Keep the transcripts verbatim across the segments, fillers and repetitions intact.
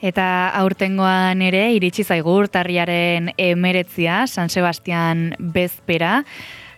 Eta aurtengoan ere iritsi zaigu urtarriaren emeretzia, San Sebastian bezpera,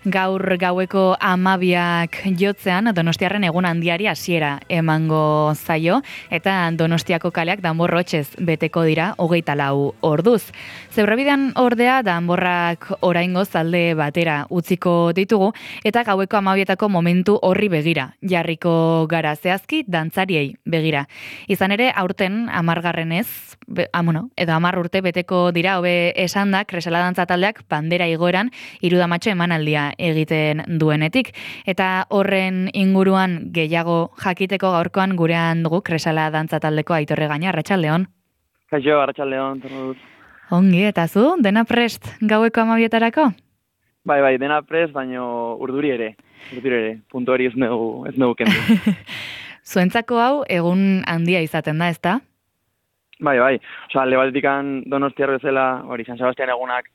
gaur gaueko amabiak jotzean Donostiarren egun handiari hasiera emango zaio, eta Donostiako kaleak danborrotxez beteko dira hogeita lau orduz. Zebrabidean ordea danborrak oraingoz alde batera utziko ditugu, eta gaueko amabietako momentu horri begira, jarriko gara zehazki dantzariei begira. Izan ere, aurten amargarrenez, be, amuno, edo amar urte beteko dira, hobe esan da, Kresala dantza taldeak bandera igoeran irudamatxo emanaldia egiten duenetik. Eta horren inguruan gehiago jakiteko gaurkoan gurean dugu Kresala dantza taldeko Aitorre Gaina. Arratsaldeon. Kaixo, arratsaldeon, torno dut. Ongi, eta zu, dena prest gaueko amabietarako? Bai, bai, dena prest, baino urduri ere. Urduri ere, puntu hori ez nugu, ez nugu kendu. Zuentzako hau egun handia izaten da, ezta? Bai, bai. Osa, alde batetikan Donostiar bezala, hori, San Sebastian egunak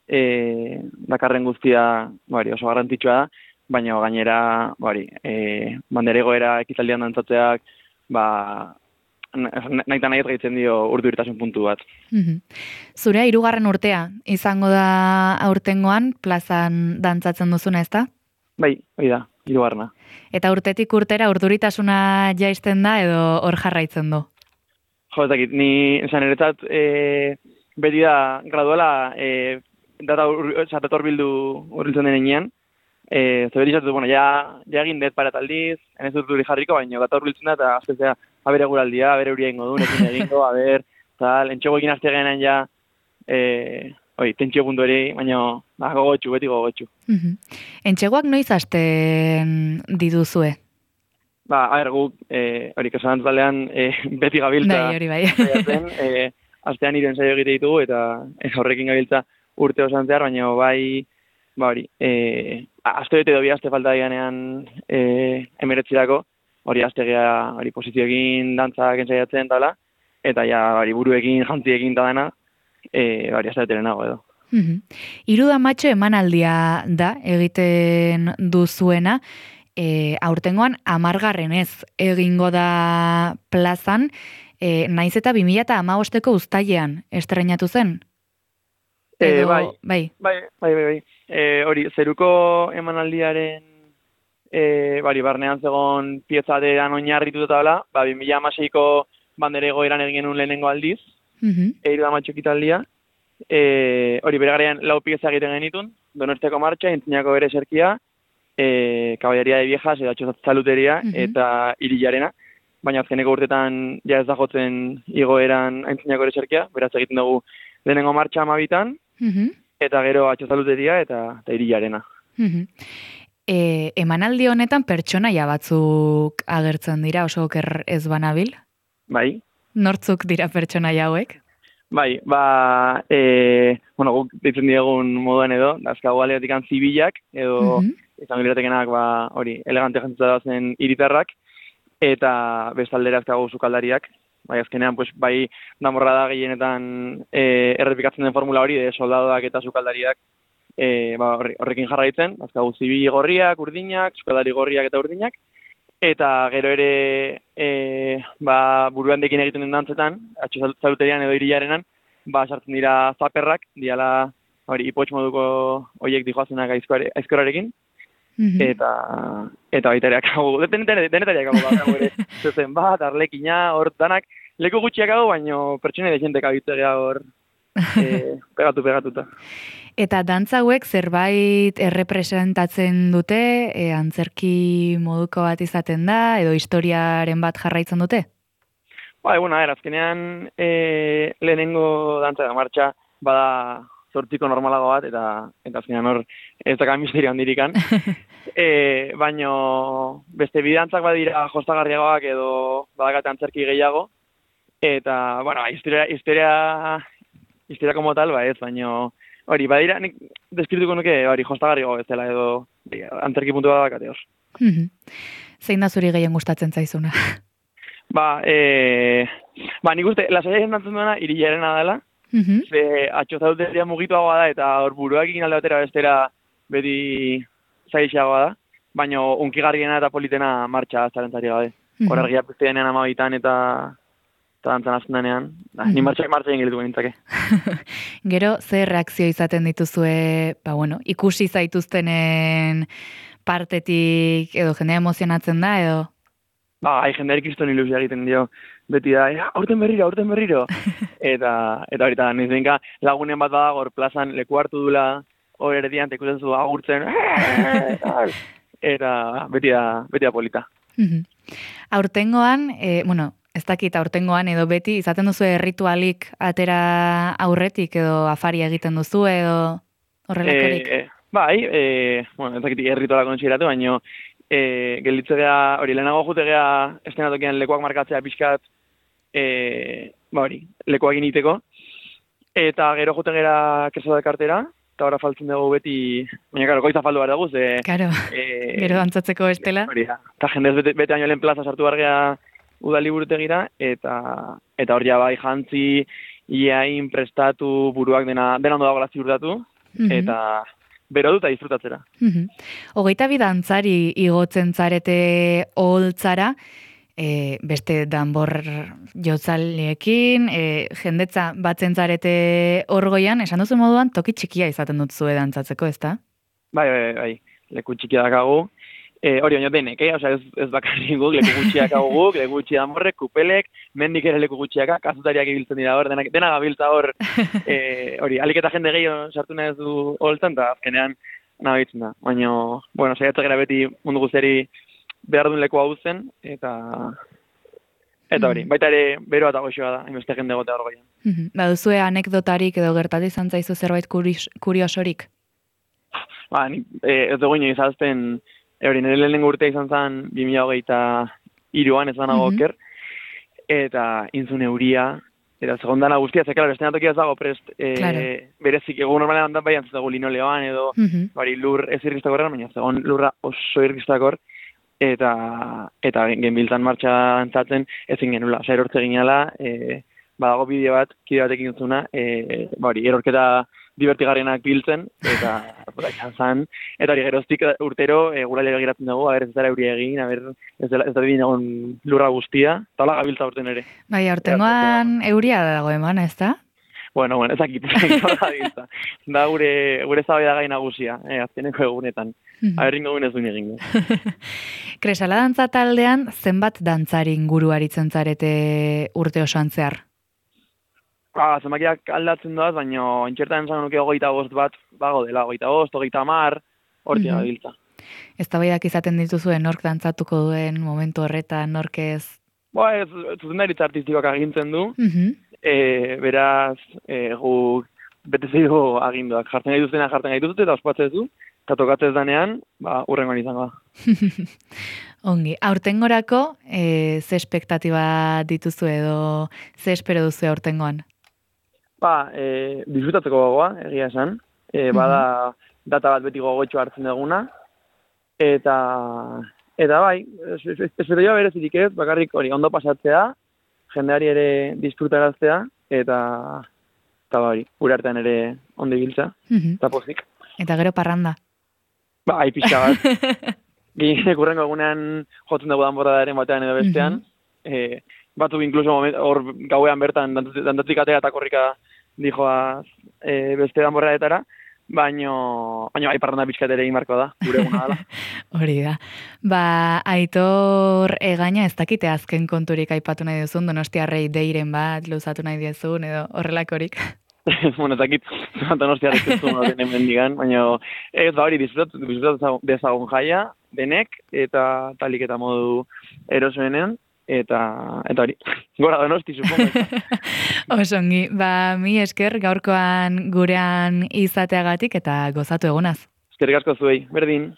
e, dakarren guztia, bari, oso garrantzitsua da, baina gainera, bari, e, banderegoera ekitaldian dantzatzeak, ba, nahi eta nahi gaitzen dio urduritasun puntu bat. Zurea hirugarren urtea izango da aurtengoan plazan dantzatzen duzuna, ezta? Bai, hori da, hirugarrena. Eta urtetik urtera urduritasuna jaisten da edo hor jarraitzen du? Jo, ez dakit, ni esan eretzat e, beti da graduala e, data dator bildu urbiltzen denean. E, Zebeti izatu, bueno, ja, ja egin dut parat aldiz, enez dut duri jarriko, baina data urbiltzen da, eta azkezea, abere guraldia, abere huria ingo duen, ekin egingo, aber, tal, entxego ekin azte genean ja, e, oi, tentsio puntu ere, baina ba, gogotxu, beti gogotxu. Uh-huh. Entxegoak noiz hasten dituzue? Ba, a ber, guk, e, hori, Kresala taldean e, beti gabiltza. Bai, hori bai. Zaiatzen, e, astean hiru ensaio egite ditugu, eta e, horrekin gabiltza urte osan zehar, baina bai, ba hori, e, aste bete dobi aste falta dianean e, emeretzirako, hori aste gea, hori posizioekin dantzak ensaiatzen dala, eta ja, hori buruekin, jantziekin da dena, e, hori aste beterenago edo. Uh-huh. Irudamatxo emanaldia da egiten duzuena, E, aurtengoan amargarrenez egingo da plazan, e, naiz eta bi mila hamabosteko uztailean estreinatu zen? Edo, e, bai, bai, bai, bai, bai, bai. E, hori, zeruko emanaldiaren e, bari, barnean zegon piezadean oinarritu eta dela, ba, bi mila hamaseiko bandere egoeran egin genuen lehenengo aldiz, uh-huh. Eiru da matxo ekitaldia, e, hori, bere garaian lau pieza egiten genitun, Donostiako martxa, Intzinako bere serkia, E, Kaballeria de Viejas, edatxo zaluteria, uh-huh. eta Irilarena, baina azkeneko urtetan ja ez da jotzen igoeran Aintzinako ere serkia, beraz egiten dugu lehenengo martxa amabitan, uh-huh. eta gero atxo zaluteria eta, eta Irilarena. Uh-huh. E, emanaldi honetan pertsonaia batzuk agertzen dira, oso oker ez banabil? Bai. Nortzuk dira pertsonaia hauek? Bai, ba, e, bueno, guk ditzen diegun moduan edo, dazkago aleatik zibilak, edo uh-huh. izan gileratekenak, ba, hori, elegante jantzuta dazen hiritarrak, eta bestaldera azkago sukaldariak, bai, azkenean, pues, bai, damorra da gehienetan e, errepikatzen den formula hori, de soldadoak eta sukaldariak, e, ba, horrekin jarraitzen, azkago zibil gorriak, urdinak, sukaldari gorriak eta urdinak, eta gero ere e, ba, buruan dekin egiten den dantzetan, atxo zaluterian edo Irilarenan, ba, sartzen dira zaperrak, diala, hori, ipotx moduko horiek dijoazenak aizkorarekin, mm-hmm. eta, eta baita ere akabu, denetari akabu, akabu ere, zezen bat, arlekina, hor danak, leku gutxiak hau, baino pertsone dezentek abitzegea hor, e, pegatu, pegatuta. Eta dantza hauek zerbait errepresentatzen dute, e, antzerki moduko bat izaten da, edo historiaren bat jarraitzen dute? Ba, bueno, a ver, azkenean e, lehenengo dantza da martxa, bada zortziko normalago bat, eta, eta azkenean hor ez dakan misterio handirikan. e, baino beste bidantzak badira jostagarriagoak edo badakate antzerki gehiago, eta, bueno, historia, historia, historia como tal, ba ez, baino hori, badira, nik deskrituko nuke, hori, jostagarriago ez dela, edo antzerki puntu bat bakate hor. Zein da zuri gehien gustatzen zaizuna? Ba, e, ba, nik uste, lasaia jentantzen duena Irilarena dela, uh-huh. ze atxo zauteria mugituagoa da, eta hor buruak egin alde batera bestera beti zaixagoa da, baina unkigarriena eta politena martxa zarentzari gabe. Uh-huh. Hor argia pizte denean amabitan eta eta dantzan azten denean, da, ni martxak martxak ingeletuko nintzake. Gero, ze reakzio izaten dituzue, ba, bueno, ikusi zaituztenen partetik, edo jendea emozionatzen da, edo? Ba, hai jendearik izton ilusia egiten dio, beti da, ja, aurten berriro, aurten berriro. eta, eta hori, eta nizenka lagunen bat bada, hor plazan leku hartu dula, hor erdian, eta ikusten zu agurtzen, eta beti da, beti da polita. Aurtengoan, e, bueno, ez dakit aurtengoan edo beti, izaten duzu ritualik atera aurretik edo afari egiten duzu edo horrelakorik? E, bai, e, bueno, ez dakit errituala kontxiratu, baina e, gelditzea, hori, lehenago jute gea estenatokian lekuak markatzea pixkat, e, ba hori, lekuak initeko, eta gero jute gera keso de kartera, eta ora faltzen dugu beti, baina karo, goiza faldu behar dugu, ze... Karo, e, gero dantzatzeko estela. Hori da, eta jendez bete, bete aino lehen plaza sartu bargea udali burutegira, eta eta hor ja bai jantzi, iain prestatu buruak dena, dena ondo dagoela ziurtatu, mm-hmm. eta bero dut eta disfrutatzera. Mm-hmm. Hogeita bi dantzari igotzen zarete oholtzara, e, beste danbor jotzaleekin, e, jendetza batzen zarete orgoian, esan duzu moduan, toki txikia izaten dut zue dantzatzeko, ezta? Bai, bai, bai, leku txikia dakagu. E, hori baino denek, eh? Osea, ez, ez bakarrik guk, leku gutxiak hau guk, leku gutxi danborrek, kupelek, mendik ere leku gutxiaka, kazutariak ibiltzen dira hor, dena, dena gabiltza hor, e, hori, alik eta jende gehiago sartu nahi du holtan, eta azkenean nabitzen da. Baina, bueno, saiatzen gara beti mundu guztiari behar duen leku hau zen, eta... Eta hori, baita ere beroa eta goxoa da, hainbeste jende gotea hor goian. Mm-hmm. Ba, duzue anekdotarik edo gertatu izan zaizu zerbait kuriosorik? Ba, ni, e, ez dugu ino izazten, hori, nire lehenengo urtea izan zen bi mila hogeita hiruan ez banago mm-hmm. oker, eta intzun euria, eta segondana guztia, ze, klaro, estenatokia ez dago prest, e, claro. Berezik, egun normalean handan baian zuzago linoleoan, edo, mm-hmm. bari, lur ez irriztakor, baina zegoen lurra oso irriztakor, eta, eta genbiltzan martxa antzatzen ezin genula, oza, erortze ginala, e, badago bideo bat, kide batekin zuna, e, bari, erorketa divertigarrienak biltzen, eta izan zen, eta hori geroztik urtero e, gurale begiratzen dugu, haber ez dara euria egin, haber ez da bine egon lurra guztia, eta hola gabiltza urten ere. Bai, aurtengoan euria dago eman, ez da? Bueno, bueno, ezakit, gabiltza. Da gure, gure zabaida gai nagusia, eh, azkeneko egunetan. Haberringo gune ez duen egingo. Kresala dantza taldean, zenbat dantzari inguru aritzen zarete urte osoan zehar? Ah, zenbakiak aldatzen doaz, baina entxertan esan nuke hogeita bost bat, bago dela, hogeita bost, hogeita mar, hortia mm-hmm. gabiltza. Ez da baiak izaten dituzuen nork dantzatuko duen momentu horretan, nork ez? Ba, ez, zuzendaritza artistikoak agintzen du, mm-hmm. e, beraz, e, guk bete zeidu aginduak, jartzen gaituztena jartzen gaituzte eta ospatzez du, eta tokatzez danean, ba, urrengoan izango da. Ongi, aurtengorako, e, ze espektatiba dituzu edo ze espero duzu aurtengoan? Ba, e, disfrutatzeko gogoa, egia esan. E, bada mm-hmm. data bat beti gogotxo hartzen duguna. Eta, eta bai, espero joa berezirik ez, bakarrik hori ondo pasatzea, jendeari ere disfrutaraztea, eta, eta hori, gure artean ere ondo ibiltza, mm-hmm. eta pozik. Eta gero parranda. Ba, hai pixka bat. Ginek urrengo egunean jotzen dugu danborradaren batean edo bestean. Mm-hmm. e, Batu inkluso hor gauean bertan dantatzik atea eta korrika dijoaz e, beste danborradetara, baino, baino bai parranda pixkat ere egin barko da, gure eguna dela. Hori da. Ba, Aitor Egaña ez dakite azken konturik aipatu nahi duzun, Donostiarrei deiren bat, luzatu nahi diezun, edo horrelakorik. Bueno, ez dakit, Donostiarrei zuzun baten hemen digan, baina ez da hori disfrutatu dezagun jaia, denek, eta talik eta modu erosoenean, eta eta hori, gora Donosti, supongo. Osongi, ba, mi esker gaurkoan gurean izateagatik eta gozatu egunaz. Eskerrik asko zuei, berdin.